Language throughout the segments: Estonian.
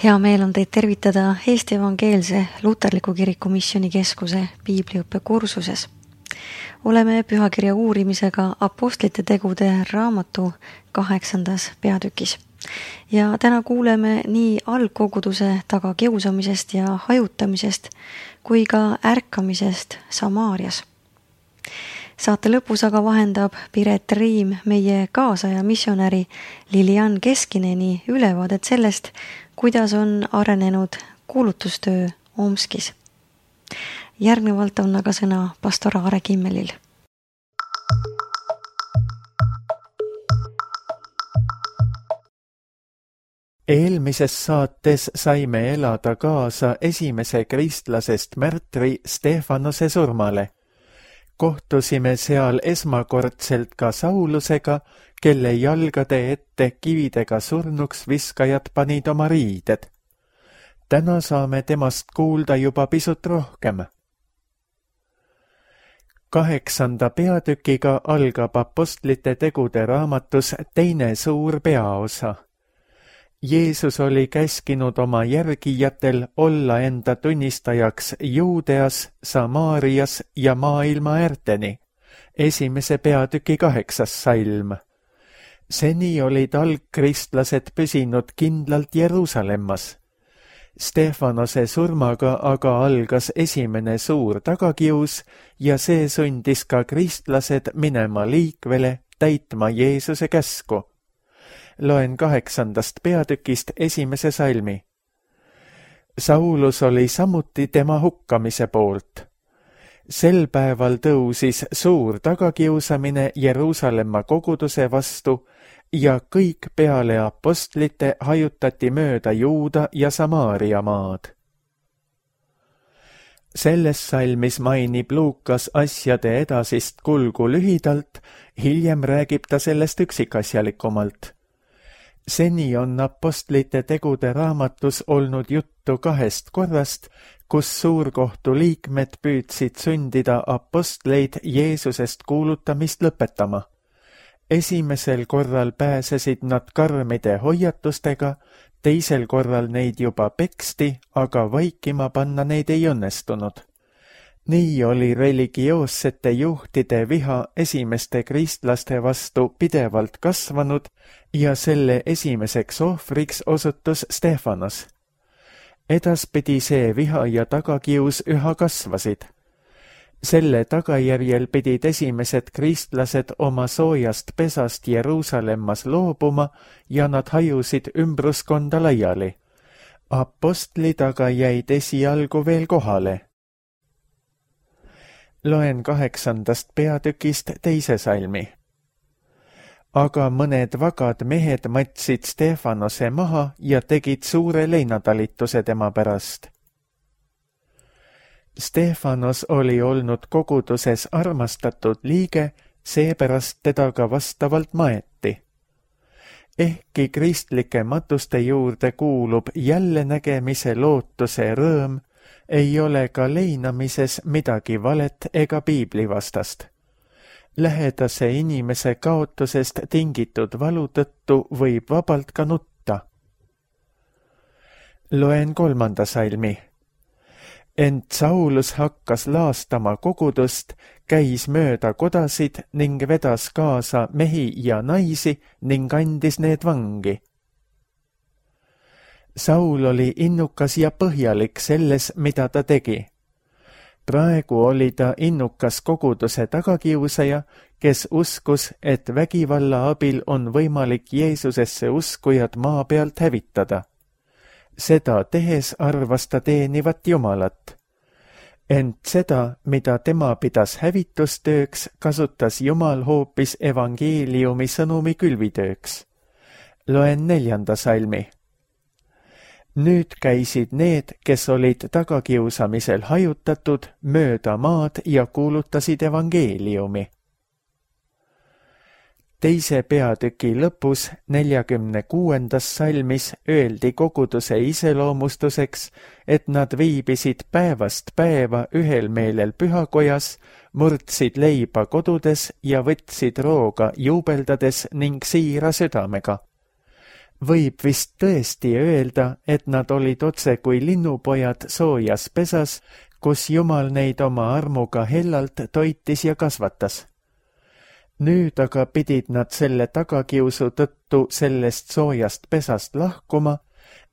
Hea meel on teid tervitada Eesti Evangeelse Luterliku Kiriku Missioonikeskuse piibliõppe kursuses. Oleme pühakirja uurimisega Apostlite tegude raamatu 8. peatükis. Ja täna kuuleme nii algkoguduse tagakiusamisest ja hajutamisest kui ka ärkamisest Samaarias. Saate lõpus aga vahendab Piret Riim meie kaasaja missionäri Lilian Keskineni ülevaadet sellest, kuidas on arenenud kuulutustöö Omskis. Järgnevalt on aga sõna pastor Aare Kimmelil. Eelmises saates saime elada kaasa esimese kristlasest märtri Stefanose surmale. Kohtusime seal esmakordselt ka Saulusega, kelle jalgade ette kividega surnuks viskajad panid oma riided. Täna saame temast kuulda juba pisut rohkem. 8. peatükiga algab Apostlite tegude raamatus teine suur peaosa. Jeesus oli käskinud oma järgijatel olla enda tunnistajaks Juudeas, Samaarias ja maailma äärteni. Esimese peatüki 8. salm. Seni olid algkristlased püsinud kindlalt Jeruusalemmas. Stefanose surmaga aga algas esimene suur tagakius ja see sundis ka kristlased minema liikvele täitma Jeesuse käsku. Loen 8. peatükist 1. salmi. Saulus oli samuti tema hukkamise poolt. Sel päeval tõusis suur tagakiusamine Jeruusalemma koguduse vastu ja kõik peale apostlite hajutati mööda Juuda ja Samaaria maad. Selles salmis mainib Luukas asjade edasist kulgu lühidalt, hiljem räägib ta sellest üksikasjalikumalt. Seni on Apostlite tegude raamatus olnud juttu 2 korrast, kus suurkohtu liikmed püüdsid sundida apostleid Jeesusest kuulutamist lõpetama. Esimesel korral pääsesid nad karmide hoiatustega, teisel korral neid juba peksti, aga vaikima panna neid ei õnnestunud. Nii oli religioossete juhtide viha esimeste kristlaste vastu pidevalt kasvanud ja selle esimeseks ohvriks osutus Stefanos. Edaspidi see viha ja tagakius üha kasvasid. Selle tagajärjel pidid esimesed kristlased oma soojast pesast Jeruusalemmas loobuma ja nad hajusid ümbruskonda laiali. Apostlid aga jäid esialgu veel kohale. Loen 8. peatükist 2. salmi. Aga mõned vagad mehed matsid Stefanose maha ja tegid suure leinatalituse tema pärast. Stefanos oli olnud koguduses armastatud liige, seepärast teda ka vastavalt maeti. Ehkki kristlike matuste juurde kuulub jällenägemise lootuse rõõm, ei ole ka leinamises midagi valet ega piiblivastast. Lähedase inimese kaotusest tingitud valu tõttu võib vabalt ka nutta. Loen 3. salmi. Ent Saulus hakkas laastama kogudust, käis mööda kodasid ning vedas kaasa mehi ja naisi ning andis need vangi. Saul oli innukas ja põhjalik selles, mida ta tegi. Praegu oli ta innukas koguduse tagakiusaja, kes uskus, et vägivalla abil on võimalik Jeesusesse uskujad maa pealt hävitada. Seda tehes arvas ta teenivat Jumalat. Ent seda, mida tema pidas hävitustööks, kasutas Jumal hoopis evangeeliumi sõnumi külvitööks. Loen 4. salmi. Nüüd käisid need, kes olid tagakiusamisel hajutatud, mööda maad ja kuulutasid evangeeliumi. 2. peatüki lõpus 46. salmis öeldi koguduse iseloomustuseks, et nad viibisid päevast päeva ühel meelel pühakojas, murdsid leiba kodudes ja võtsid rooga juubeldades ning siira südamega. Võib vist tõesti öelda, et nad olid otse kui linnupojad soojas pesas, kus Jumal neid oma armuga hellalt toitis ja kasvatas. Nüüd aga pidid nad selle tagakiusu tõttu sellest soojast pesast lahkuma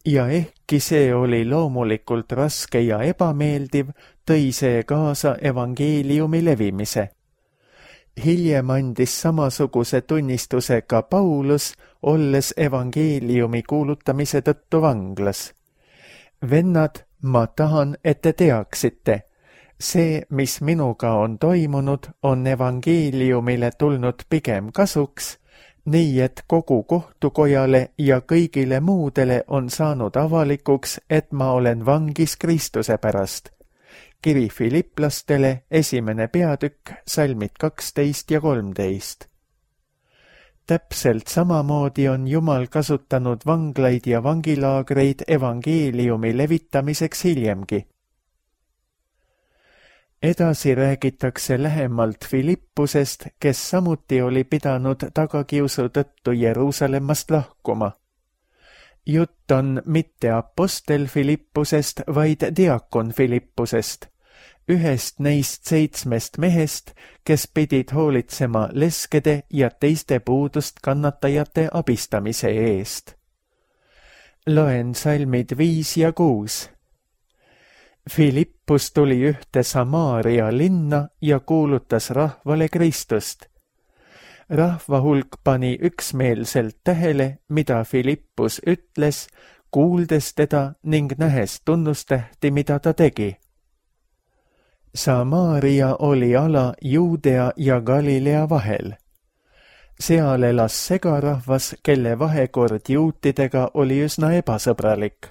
ja ehkki see oli loomulikult raske ja ebameeldiv, tõi see kaasa evangeeliumi levimise. Hiljem andis samasuguse tunnistuse ka Paulus, olles evangeeliumi kuulutamise tõttu vanglas. Vennad, ma tahan, et te teaksite. See, mis minuga on toimunud, on evangeeliumile tulnud pigem kasuks, nii et kogu kohtukojale ja kõigile muudele on saanud avalikuks, et ma olen vangis Kristuse pärast. Kiri Filiplastele 1. peatükk, salmid 12 ja 13. Täpselt samamoodi on Jumal kasutanud vanglaid ja vangilaagreid evangeeliumi levitamiseks hiljemgi. Edasi räägitakse lähemalt Filippusest, kes samuti oli pidanud tagakiusu tõttu Jeruusalemmast lahkuma. Jutt on mitte apostel Filippusest, vaid diakon Filippusest, ühest neist 7 mehest, kes pidid hoolitsema leskede ja teiste puudust kannatajate abistamise eest. Loen salmid 5 ja 6. Filippus tuli ühte Samaaria linna ja kuulutas rahvale Kristust. Rahva hulk pani üksmeelselt tähele, mida Filippus ütles, kuuldes teda ning nähes tunnustähti, mida ta tegi. Samaaria oli ala Juudea ja Galilea vahel. Seal elas segarahvas, kelle vahekord juutidega oli üsna ebasõbralik.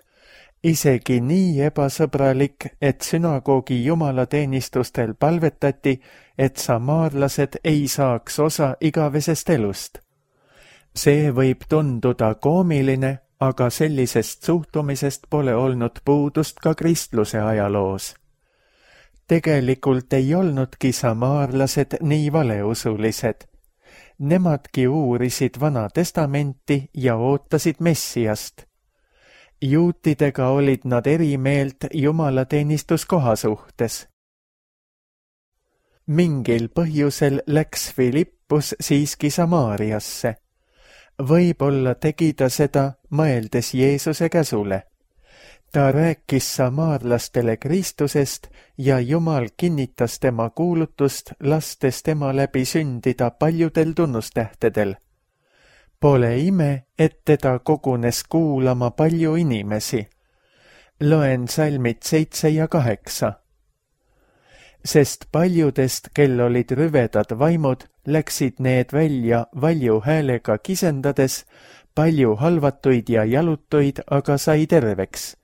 Isegi nii ebasõbralik, et sünagoogi jumalateenistustel palvetati, et samaarlased ei saaks osa igavesest elust. See võib tunduda koomiline, aga sellisest suhtumisest pole olnud puudust ka kristluse ajaloos. Tegelikult ei olnudki samaarlased nii valeusulised. Nemadki uurisid Vana Testamenti ja ootasid Messiast. Juutidega olid nad eri meelt jumalateenistuskoha suhtes. Mingil põhjusel läks Filippus siiski Samaariasse. Võib-olla tegi ta seda, mõeldes Jeesuse käsule. Ta rääkis samaarlastele Kristusest ja Jumal kinnitas tema kuulutust, lastes tema läbi sündida paljudel tunnustähtedel. Pole ime, et teda kogunes kuulama palju inimesi. Loen salmid 7 ja 8. Sest paljudest, kel olid rüvedad vaimud, läksid need välja valju häälega kisendades, palju halvatuid ja jalutuid aga sai terveks.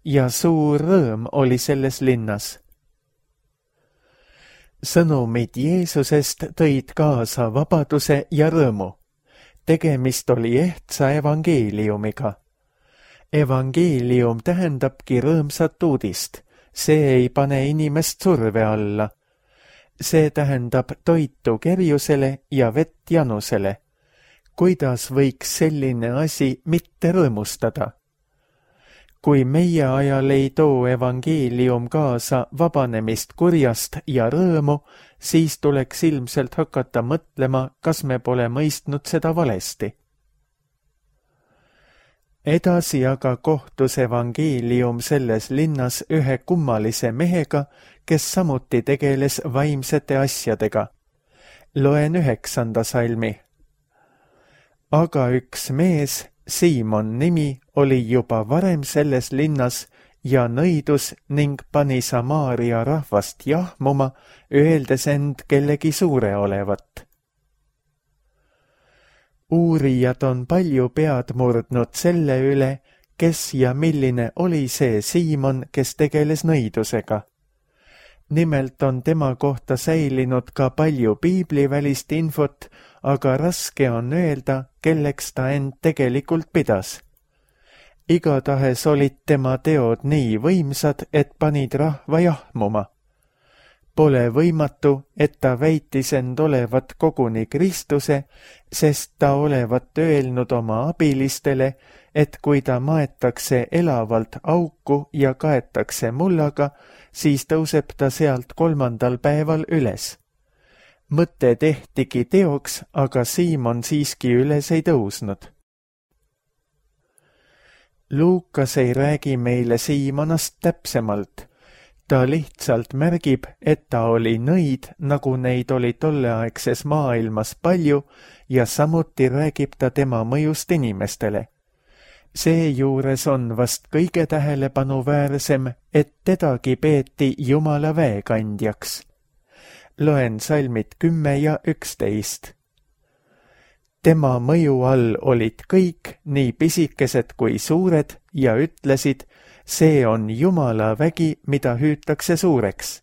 Ja suur rõõm oli selles linnas. Sõnumid Jeesusest tõid kaasa vabaduse ja rõõmu. Tegemist oli ehtsa evangeeliumiga. Evangeelium tähendabki rõõmsat uudist. See ei pane inimest surve alla. See tähendab toitu kerjusele ja vett janusele. Kuidas võiks selline asi mitte rõõmustada? Kui meie ajal ei too evangeelium kaasa vabanemist kurjast ja rõõmu, siis tuleks ilmselt hakata mõtlema, kas me pole mõistnud seda valesti. Edasi aga kohtus evangeelium selles linnas ühe kummalise mehega, kes samuti tegeles vaimsete asjadega. Loen 9. salmi. Aga üks mees, Siimon nimi, oli juba varem selles linnas ja nõidus ning pani Samaaria rahvast jahmuma, öeldes end kellegi suure olevat. Uurijad on palju pead murdnud selle üle, kes ja milline oli see Siimon, kes tegeles nõidusega. Nimelt on tema kohta säilinud ka palju piiblivälist infot, aga raske on öelda, kelleks ta end tegelikult pidas. Igatahes olid tema teod nii võimsad, et panid rahva jahmuma. Pole võimatu, et ta väitis end olevat koguni Kristuse, sest ta olevat öelnud oma abilistele, et kui ta maetakse elavalt auku ja kaetakse mullaga, siis tõuseb ta sealt 3. päeval üles. Mõte tehtigi teoks, aga Siimon siiski üles ei tõusnud. Luukas ei räägi meile Siimonast täpsemalt. Ta lihtsalt märgib, et ta oli nõid, nagu neid oli tolleaegses maailmas palju, ja samuti räägib ta tema mõjust inimestele. Seejuures on vast kõige tähelepanuväärsem, et tedagi peeti Jumala väekandjaks. Loen salmid 10 ja 11. Tema mõju all olid kõik, nii pisikesed kui suured, ja ütlesid, see on Jumala vägi, mida hüütakse suureks.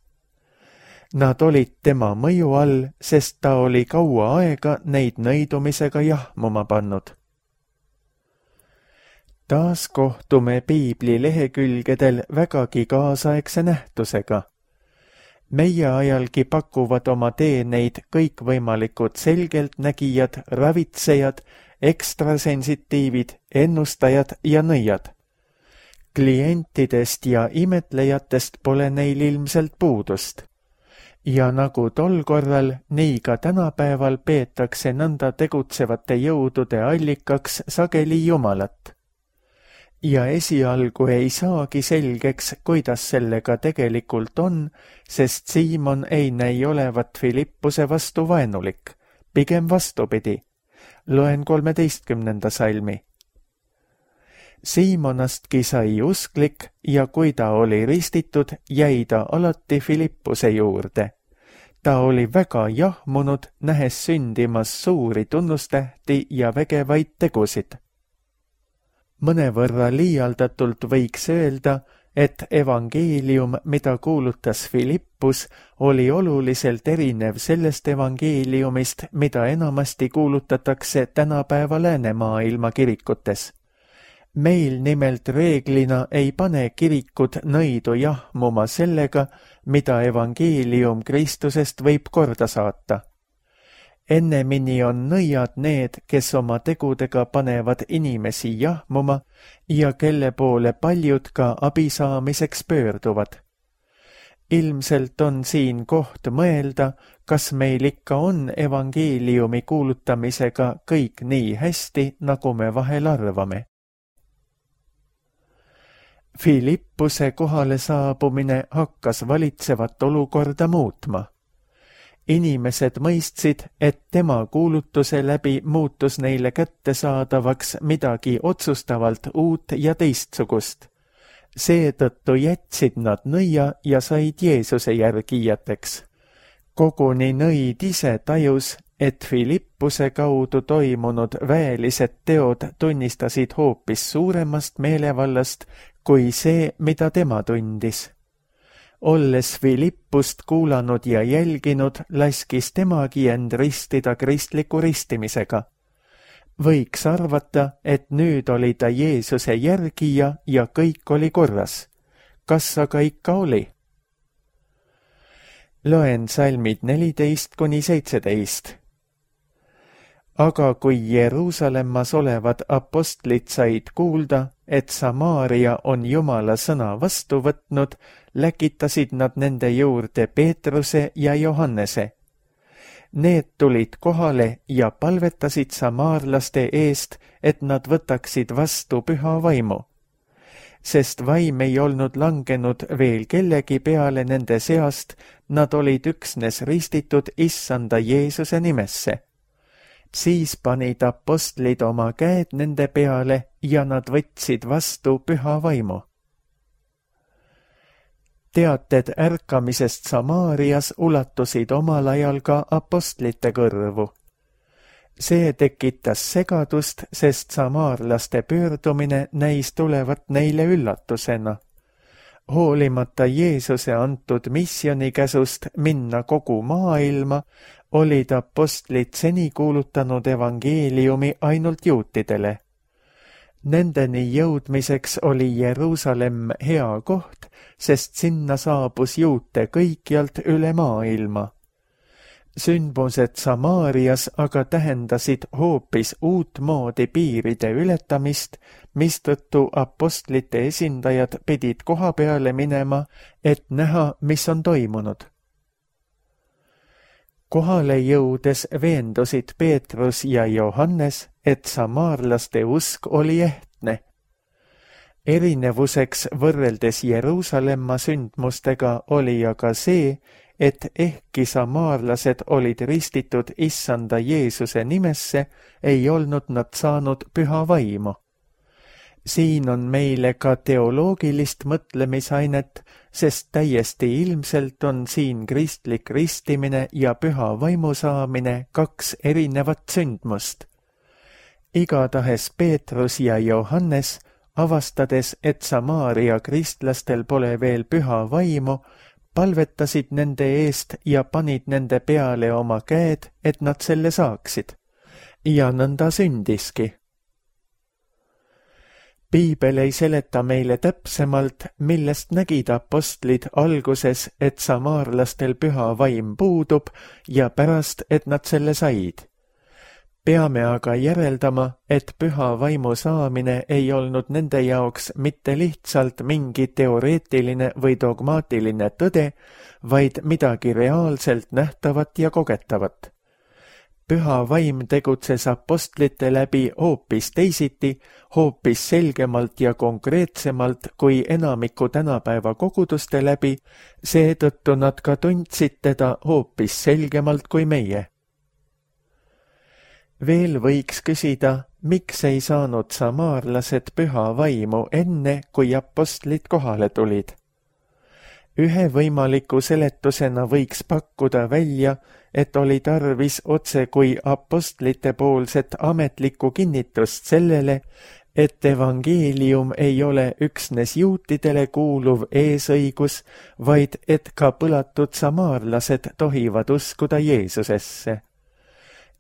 Nad olid tema mõju all, sest ta oli kaua aega neid nõidumisega jahmuma pannud. Taas kohtume piibli lehekülgedel vägagi kaasaegse nähtusega. Meie ajalgi pakuvad oma teeneid kõikvõimalikud selgeltnägijad, ravitsejad, ekstrasensitiivid, ennustajad ja nõiad. Klientidest ja imetlejatest pole neil ilmselt puudust. Ja nagu tol korral, nii ka tänapäeval peetakse nõnda tegutsevate jõudude allikaks sageli Jumalat. Ja esialgu ei saagi selgeks, kuidas sellega tegelikult on, sest Siimon ei näi olevat Filippuse vastu vaenulik, pigem vastupidi. Loen 13. salmi. Siimonastki sai usklik ja kui ta oli ristitud, jäi ta alati Filippuse juurde. Ta oli väga jahmunud, nähes sündimas suuri tunnustähti ja vägevaid tegusid. Mõnevõrra liialdatult võiks öelda, et evangeelium, mida kuulutas Filippus, oli oluliselt erinev sellest evangeeliumist, mida enamasti kuulutatakse tänapäeva läänemaailma kirikutes. Meil nimelt reeglina ei pane kirikud nõidu jahmuma sellega, mida evangeelium Kristusest võib korda saata. Ennemini on nõiad need, kes oma tegudega panevad inimesi jahmuma ja kelle poole paljud ka abi saamiseks pöörduvad. Ilmselt on siin koht mõelda, kas meil ikka on evangeeliumi kuulutamisega kõik nii hästi, nagu me vahel arvame. Filippuse kohale saabumine hakkas valitsevat olukorda muutma. Inimesed mõistsid, et tema kuulutuse läbi muutus neile kättesaadavaks midagi otsustavalt uut ja teistsugust. Seetõttu jätsid nad nõia ja said Jeesuse järgijateks. Koguni nõid ise tajus, et Filippuse kaudu toimunud väelised teod tunnistasid hoopis suuremast meelevallast kui see, mida tema tundis. Olles Filippust kuulanud ja jälginud, laskis temagi end ristida kristliku ristimisega. Võiks arvata, et nüüd oli ta Jeesuse järgija ja kõik oli korras. Kas aga ikka oli? Loen salmid 14–17. Aga kui Jeruusalemmas olevad apostlid said kuulda, et Samaaria on Jumala sõna vastu võtnud, läkitasid nad nende juurde Peetruse ja Johannese. Need tulid kohale ja palvetasid samaarlaste eest, et nad võtaksid vastu püha vaimu. Sest vaim ei olnud langenud veel kellegi peale nende seast, nad olid üksnes ristitud Issanda Jeesuse nimesse. Siis panid apostlid oma käed nende peale ja nad võtsid vastu püha vaimu. Teated ärkamisest Samaarias ulatusid omal ajal ka apostlite kõrvu. See tekitas segadust, sest samaarlaste pöördumine näis tulevat neile üllatusena. Hoolimata Jeesuse antud missionikäsust minna kogu maailma, olid apostlid seni kuulutanud evangeeliumi ainult juutidele. Nendeni jõudmiseks oli Jeruusalemm hea koht, sest sinna saabus juute kõikjalt üle maailma. Sündmused Samaarias aga tähendasid hoopis uut moodi piiride ületamist, mistõttu apostlite esindajad pidid koha peale minema, et näha, mis on toimunud. Kohale jõudes veendusid Peetrus ja Johannes, et samaarlaste usk oli ehtne. Erinevuseks võrreldes Jeruusalemma sündmustega oli aga see, et ehkki samaarlased olid ristitud issanda Jeesuse nimesse, ei olnud nad saanud püha vaimu. Siin on meile ka teoloogilist mõtlemisainet, sest täiesti ilmselt on siin kristlik ristimine ja püha vaimu saamine kaks erinevat sündmust. Igatahes Peetrus ja Johannes, avastades, et Samaaria kristlastel pole veel püha vaimu, palvetasid nende eest ja panid nende peale oma käed, et nad selle saaksid. Ja nõnda sündiski. Piibel ei seleta meile täpsemalt, millest nägid apostlid alguses, et samaarlastel püha vaim puudub ja pärast, et nad selle said. Peame aga järeldama, et püha vaimu saamine ei olnud nende jaoks mitte lihtsalt mingi teoreetiline või dogmaatiline tõde, vaid midagi reaalselt nähtavat ja kogetavat. Püha vaim tegutses apostlite läbi hoopis teisiti, hoopis selgemalt ja konkreetsemalt kui enamiku tänapäeva koguduste läbi, seetõttu nad ka tundsid teda hoopis selgemalt kui meie. Veel võiks küsida, miks ei saanud samaarlased püha vaimu enne, kui apostlid kohale tulid. Ühe võimaliku seletusena võiks pakkuda välja, et oli tarvis otse kui apostlite poolset ametlikku kinnitust sellele, et evangeelium ei ole üksnes juutidele kuuluv eesõigus, vaid et ka põlatud samaarlased tohivad uskuda Jeesusesse.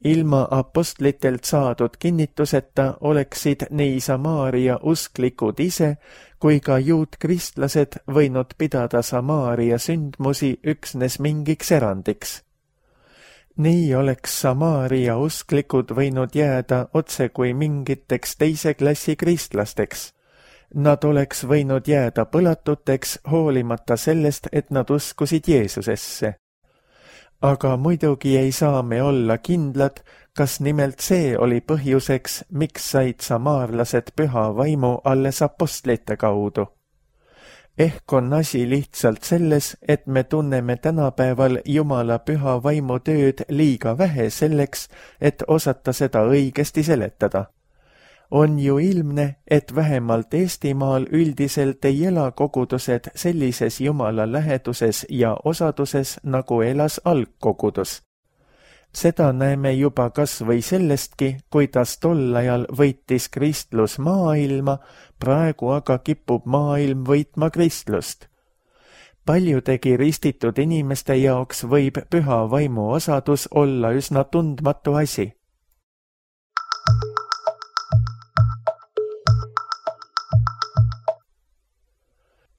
Ilma apostlitelt saadud kinnituseta oleksid nii Samaaria usklikud ise kui ka juutkristlased võinud pidada Samaaria sündmusi üksnes mingiks erandiks. Nii oleks Samaaria usklikud võinud jääda otse kui mingiteks teise klassi kristlasteks. Nad oleks võinud jääda põlatuteks hoolimata sellest, et nad uskusid Jeesusesse. Aga muidugi ei saa me olla kindlad, kas nimelt see oli põhjuseks, miks said samaarlased püha vaimu alles apostlite kaudu. Ehk on asi lihtsalt selles, et me tunneme tänapäeval Jumala püha vaimu tööd liiga vähe selleks, et osata seda õigesti seletada. On ju ilmne, et vähemalt Eestimaal üldiselt ei ela kogudused sellises Jumala läheduses ja osaduses, nagu elas algkogudus. Seda näeme juba kas või sellestki, kuidas tol ajal võitis kristlus maailma, praegu aga kipub maailm võitma kristlust. Paljudegi ristitud inimeste jaoks võib püha vaimu osadus olla üsna tundmatu asi.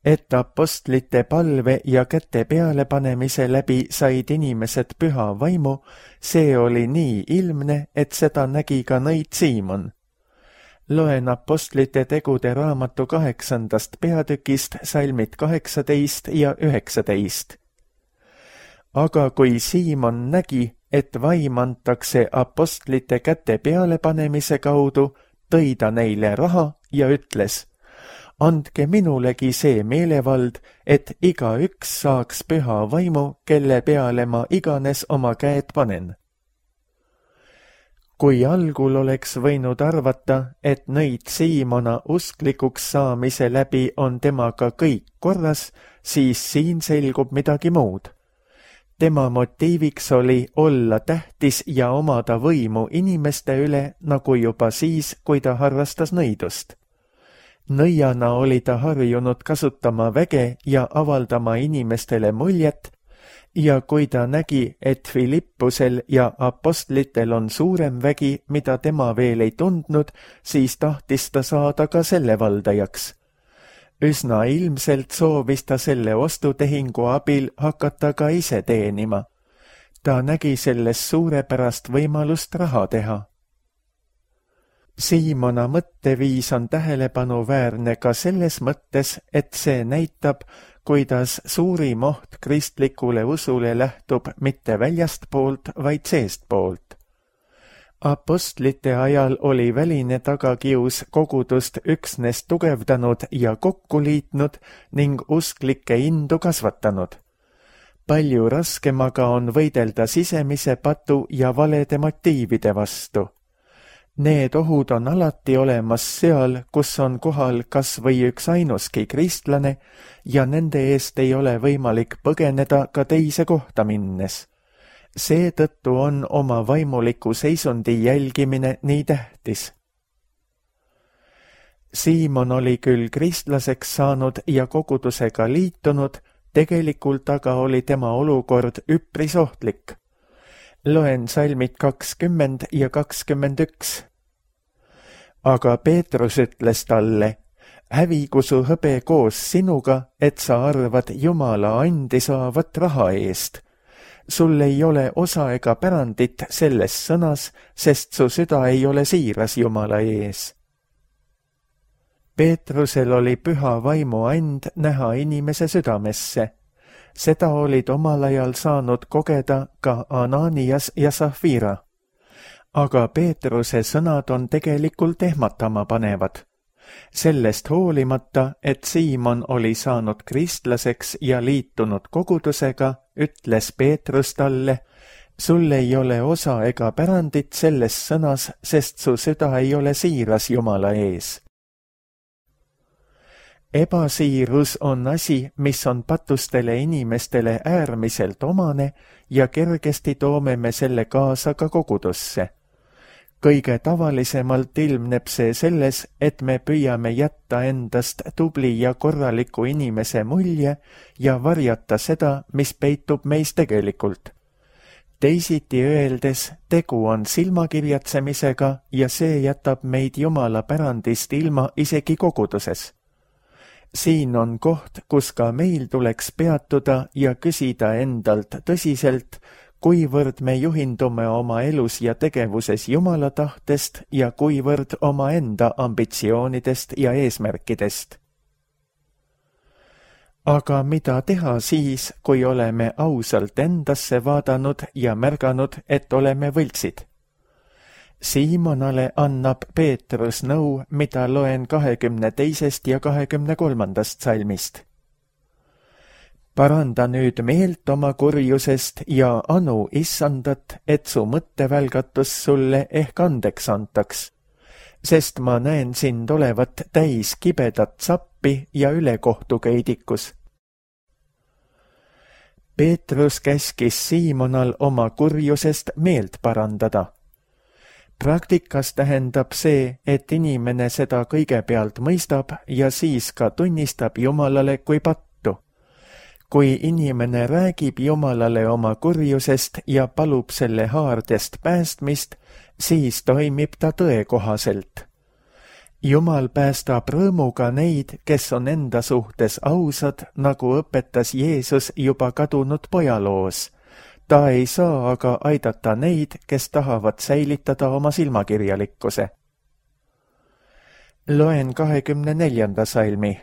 Et apostlite palve ja käte pealepanemise läbi said inimesed püha vaimu, see oli nii ilmne, et seda nägi ka nõid Siimon. Loen apostlite tegude raamatu 8. peatükist salmid 18 ja 19. Aga kui Siimon nägi, et vaim antakse apostlite käte pealepanemise kaudu, tõi ta neile raha ja ütles: andke minulegi see meelevald, et igaüks saaks püha vaimu, kelle peale ma iganes oma käed panen. Kui algul oleks võinud arvata, et nõid Siimona usklikuks saamise läbi on temaga kõik korras, siis siin selgub midagi muud. Tema motiiviks oli olla tähtis ja omada võimu inimeste üle, nagu juba siis, kui ta harrastas nõidust. Nõiana oli ta harjunud kasutama väge ja avaldama inimestele muljet, ja kui ta nägi, et Filippusel ja apostlitel on suurem vägi, mida tema veel ei tundnud, siis tahtis ta saada ka selle valdajaks. Üsna ilmselt soovis ta selle ostutehingu abil hakata ka ise teenima. Ta nägi selles suurepärast võimalust raha teha. Siimona mõtteviis on tähelepanuväärne ka selles mõttes, et see näitab, kuidas suurim oht kristlikule usule lähtub mitte väljastpoolt, vaid seestpoolt. Apostlite ajal oli väline tagakius kogudust üksnes tugevdanud ja kokku liitnud ning usklike indu kasvatanud. Palju raskemaga on võidelda sisemise patu ja valede motiivide vastu. Need ohud on alati olemas seal, kus on kohal kas või üks ainuski kristlane ja nende eest ei ole võimalik põgeneda ka teise kohta minnes. Seetõttu on oma vaimuliku seisundi jälgimine nii tähtis. Siimon oli küll kristlaseks saanud ja kogudusega liitunud, tegelikult aga oli tema olukord üpris ohtlik. Loen salmid 20 ja 21. Aga Peetrus ütles talle, hävigu su hõbe koos sinuga, et sa arvad Jumala andi saavat raha eest. Sul ei ole osa ega pärandit selles sõnas, sest su süda ei ole siiras Jumala ees. Peetrusel oli püha vaimu and näha inimese südamesse. Seda olid omal ajal saanud kogeda ka Ananias ja Safira. Aga Peetruse sõnad on tegelikult ehmatama panevad. Sellest hoolimata, et Siimon oli saanud kristlaseks ja liitunud kogudusega, ütles Peetrus talle, sul ei ole osa ega pärandit selles sõnas, sest su süda ei ole siiras Jumala ees. Ebasiirus on asi, mis on patustele inimestele äärmiselt omane ja kergesti toome me selle kaasa ka kogudusse. Kõige tavalisemalt ilmneb see selles, et me püüame jätta endast tubli ja korraliku inimese mulje ja varjata seda, mis peitub meis tegelikult. Teisiti öeldes, tegu on silmakirjatsemisega ja see jätab meid Jumala pärandist ilma isegi koguduses. Siin on koht, kus ka meil tuleks peatuda ja küsida endalt tõsiselt, kuivõrd me juhindume oma elus ja tegevuses Jumala tahtest ja kuivõrd oma enda ambitsioonidest ja eesmärkidest. Aga mida teha siis, kui oleme ausalt endasse vaadanud ja märganud, et oleme võltsid? Siimonale annab Peetrus nõu, mida loen 22. ja 23. salmist. Paranda nüüd meelt oma kurjusest ja anu issandat, et su mõttevälgatus sulle ehk andeks antaks, sest ma näen sind olevat täis kibedat sappi ja ülekohtukeidikus. Peetrus käskis Siimonal oma kurjusest meelt parandada. Praktikas tähendab see, et inimene seda kõigepealt mõistab ja siis ka tunnistab Jumalale kui pattu. Kui inimene räägib Jumalale oma kurjusest ja palub selle haardest päästmist, siis toimib ta tõe kohaselt. Jumal päästab rõõmuga neid, kes on enda suhtes ausad, nagu õpetas Jeesus juba kadunud pojaloos. Ta ei saa aga aidata neid, kes tahavad säilitada oma silmakirjalikkuse. Loen 24. salmi.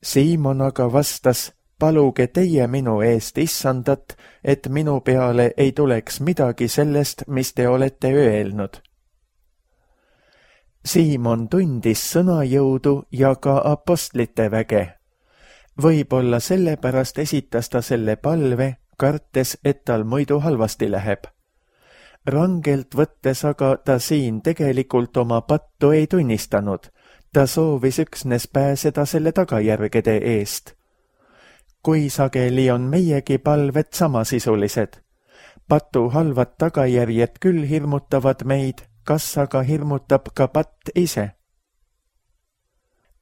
Siimon aga vastas, paluge teie minu eest issandat, et minu peale ei tuleks midagi sellest, mis te olete öelnud. Siimon tundis sõnajõudu ja ka apostlite väge. Võib-olla sellepärast esitas ta selle palve, kartes, et tal muidu halvasti läheb. Rangelt võttes aga ta siin tegelikult oma pattu ei tunnistanud. Ta soovis üksnes pääseda selle tagajärgede eest. Kui sageli on meiegi palved samasisulised. Patu halvad tagajärjed küll hirmutavad meid, kas aga hirmutab ka patt ise?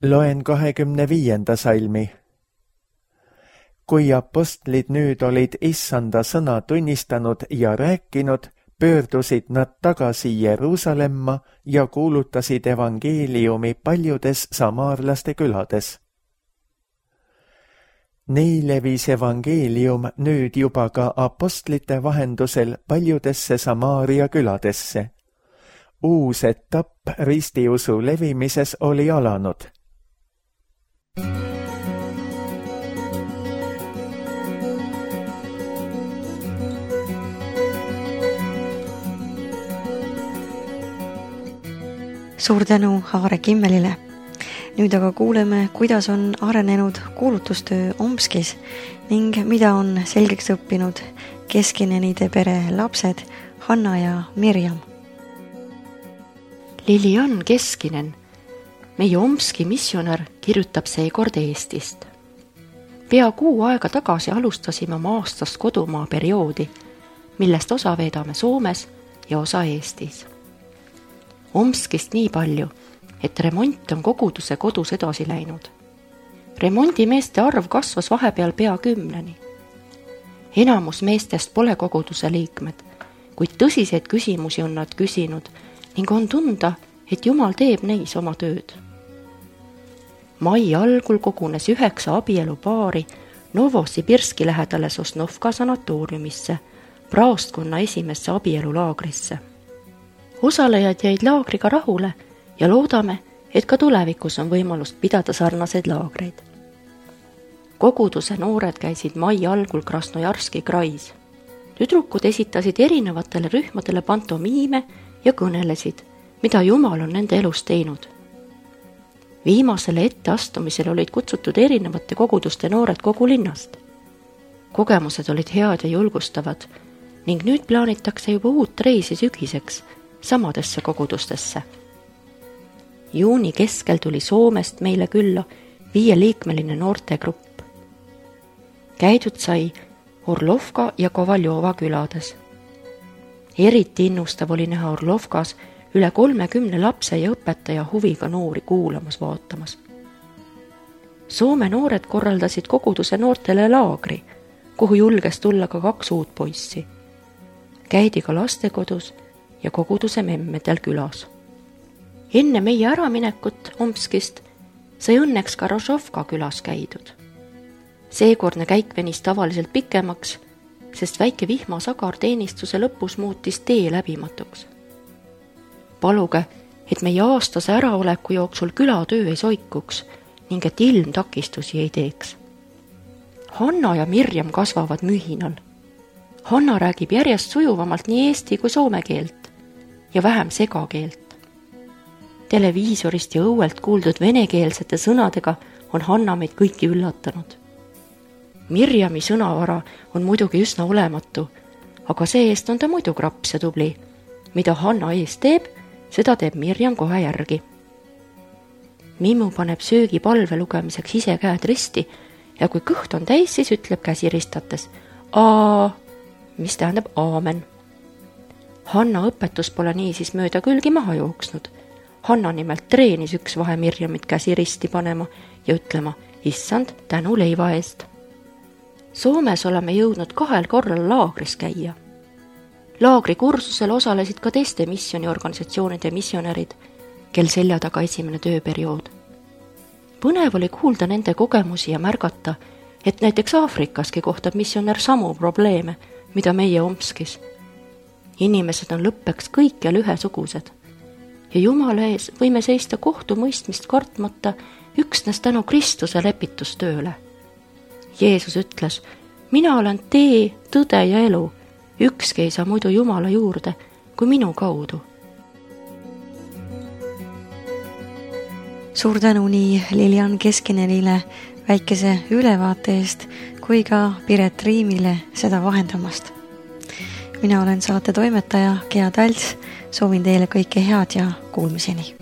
Loen 25. salmi. Kui apostlid nüüd olid issanda sõna tunnistanud ja rääkinud, pöördusid nad tagasi Jeruusalemma ja kuulutasid evangeeliumi paljudes samaarlaste külades. Nii levis evangeelium nüüd juba ka apostlite vahendusel paljudesse Samaaria küladesse. Uus etapp ristiusu levimises oli alanud. Suur tänu Aare Kimmelile. Nüüd aga kuuleme, kuidas on arenenud kuulutustöö Omskis ning mida on selgeks õppinud Keskinenide pere lapsed Hanna ja Mirjam. Lilian Keskinen, meie Omski missionär, kirjutab seekord Eestist. Pea kuu aega tagasi alustasime oma aastast kodumaa perioodi, millest osa veedame Soomes ja osa Eestis. Omskist nii palju, et remont on koguduse kodus edasi läinud. Remondimeeste arv kasvas vahepeal pea 10. Enamus meestest pole koguduse liikmed, kuid tõsiseid küsimusi on nad küsinud ning on tunda, et Jumal teeb neis oma tööd. Mai algul kogunes 9 abielupaari Novosibirski lähedale Sosnovka sanatooriumisse, praostkonna esimesse abielulaagrisse. Osalejad jäid laagriga rahule ja loodame, et ka tulevikus on võimalust pidada sarnaseid laagreid. Koguduse noored käisid mai algul Krasnojarski krais. Tüdrukud esitasid erinevatele rühmadele pantomiime ja kõnelesid, mida Jumal on nende elus teinud. Viimasele etteastumisele olid kutsutud erinevate koguduste noored kogu linnast. Kogemused olid head ja julgustavad ning nüüd plaanitakse juba uut reisi sügiseks samadesse kogudustesse. Juuni keskel tuli Soomest meile külla 5-liikmeline noortegrupp. Käidud sai Orlovka ja Kovaljova külades. Eriti innustav oli näha Orlovkas üle 30 lapse ja õpetaja huviga noori kuulamas vaatamas. Soome noored korraldasid koguduse noortele laagri, kuhu julges tulla ka 2 uut poissi. Käidi ka lastekodus ja koguduse memmedel külas. Enne meie äraminekut Omskist sai õnneks ka Rožovka külas käidud. Seekordne käik venis tavaliselt pikemaks, sest väike vihmasagar teenistuse lõpus muutis tee läbimatuks. Paluge, et meie aastase äraoleku jooksul külatöö ei soikuks ning et ilm takistusi ei teeks. Hanna ja Mirjam kasvavad mühinal. Hanna räägib järjest sujuvamalt nii eesti kui soome keelt ja vähem segakeelt. Televiisorist ja õuelt kuuldud venekeelsete sõnadega on Hanna meid kõiki üllatanud. Mirjami sõnavara on muidugi üsna olematu, aga see-eest on ta muidu kraps ja tubli. Mida Hanna ees teeb, seda teeb Mirjam kohe järgi. Mimmu paneb söögi palve lugemiseks ise käed risti ja kui kõht on täis, siis ütleb käsi ristates aa, mis tähendab aamen. Hanna õpetus pole niisiis mööda külgi maha jooksnud. Hanna nimelt treenis üks vahe Mirjamit käsi risti panema ja ütlema issand tänu leiva eest. Soomes oleme jõudnud 2 korral laagris käia. Laagri kursusel osalesid ka teiste missioniorganisatsioonide missionärid, kel selja taga esimene tööperiood. Põnev oli kuulda nende kogemusi ja märgata, et näiteks Aafrikaski kohtab missionär samu probleeme, mida meie Omskis. Inimesed on lõppeks kõikjal ühesugused ja Jumala ees võime seista kohtumõistmist kartmata üksnes tänu Kristuse lepitustööle. Jeesus ütles, mina olen tee, tõde ja elu, ükski ei saa muidu Jumala juurde kui minu kaudu. Suur tänu nii Lilian Keskinenile väikese ülevaate eest kui ka Piret Riimile seda vahendamast. Mina olen saate toimetaja Gea Talts, soovin teile kõike head ja kuulmiseni.